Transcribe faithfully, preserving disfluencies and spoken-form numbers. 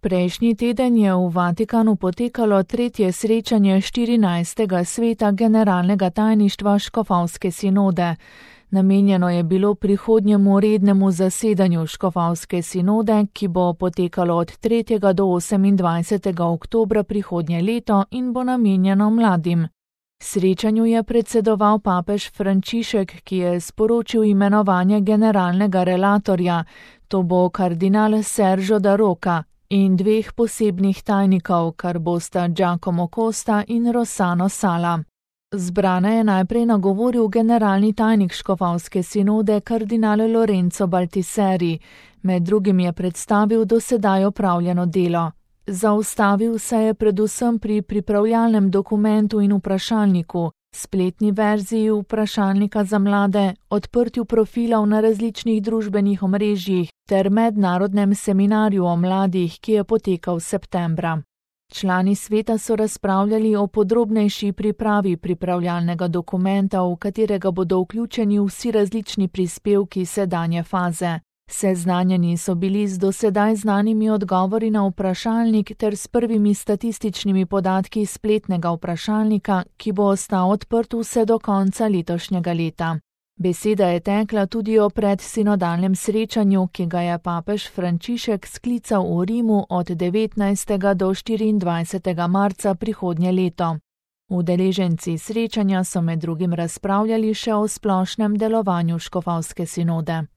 Prejšnji teden je v Vatikanu potekalo tretje srečanje štirinajstega sveta generalnega tajništva škofovske sinode. Namenjeno je bilo prihodnjemu rednemu zasedanju škofovske sinode, ki bo potekalo od tretjega do osemindvajsetega oktobra prihodnje leto in bo namenjeno mladim. Srečanju je predsedoval papež Frančišek, ki je sporočil imenovanje generalnega relatorja, to bo kardinal Sergio da Roca, in dveh posebnih tajnikov, kar bosta Giacomo Costa in Rossano Sala. Zbrane je najprej nagovoril generalni tajnik škofovske sinode kardinal Lorenzo Baltiseri, med drugim je predstavil do sedaj opravljeno delo. Zaustavil se je predvsem pri pripravljalnem dokumentu in vprašalniku, spletni verziji vprašalnika za mlade, odprtju profilov na različnih družbenih omrežjih ter mednarodnem seminarju o mladih, ki je potekal septembra. Člani sveta so razpravljali o podrobnejši pripravi pripravljalnega dokumenta, v katerega bodo vključeni vsi različni prispevki sedanje faze. Seznanjeni so bili z dosedaj znanimi odgovori na vprašalnik ter s prvimi statističnimi podatki spletnega vprašalnika, ki bo ostal odprt vse do konca letošnjega leta. Beseda je tekla tudi o predsinodalnem srečanju, ki ga je papež Frančišek sklical v Rimu od devetnajstega do štiriindvajsetega marca prihodnje leto. Udeleženci srečanja so med drugim razpravljali še o splošnem delovanju škofovske sinode.